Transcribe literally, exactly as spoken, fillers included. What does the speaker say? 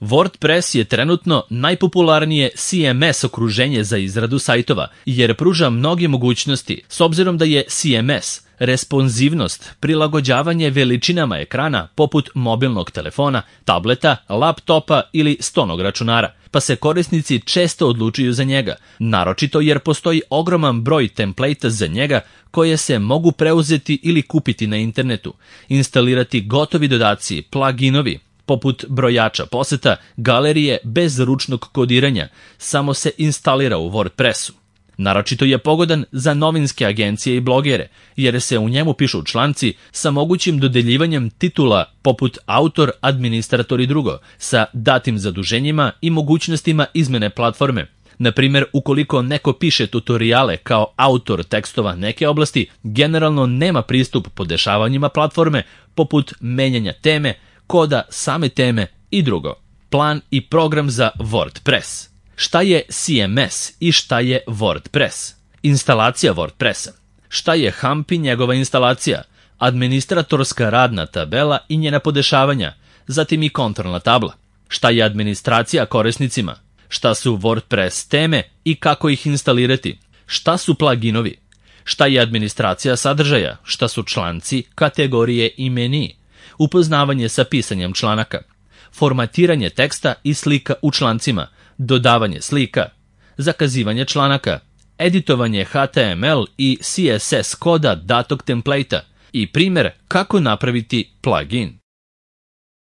WordPress je trenutno najpopularnije C M S okruženje za izradu sajtova, jer pruža mnoge mogućnosti, s obzirom da je C M S responsivnost, prilagođavanje veličinama ekrana poput mobilnog telefona, tableta, laptopa ili stonog računara, pa se korisnici često odlučuju za njega, naročito jer postoji ogroman broj templejta za njega koje se mogu preuzeti ili kupiti na internetu, instalirati gotovi dodaci, pluginovi, poput brojača poseta, galerije bez ručnog kodiranja, samo se instalira u WordPressu. Naročito je pogodan za novinske agencije i blogere, jer se u njemu pišu članci sa mogućim dodeljivanjem titula poput autor, administrator i drugo, sa datim zaduženjima i mogućnostima izmene platforme. Na primjer, ukoliko neko piše tutoriale kao autor tekstova neke oblasti, generalno nema pristup podešavanjima platforme poput menjanja teme, koda same teme i drugo. Plan i program za WordPress. Šta je C M S i šta je WordPress? Instalacija WordPressa. Šta je Hump i njegova instalacija? Administratorska radna tabela i njena podešavanja, zatim i kontrolna tabla. Šta je administracija korisnicima? Šta su WordPress teme i kako ih instalirati? Šta su pluginovi? Šta je administracija sadržaja? Šta su članci, kategorije i meniji? Upoznavanje sa pisanjem članaka. Formatiranje teksta i slika u člancima. Dodavanje slika, zakazivanje članaka, editovanje H T M L i C S S koda datog templejta i primjer kako napraviti plugin.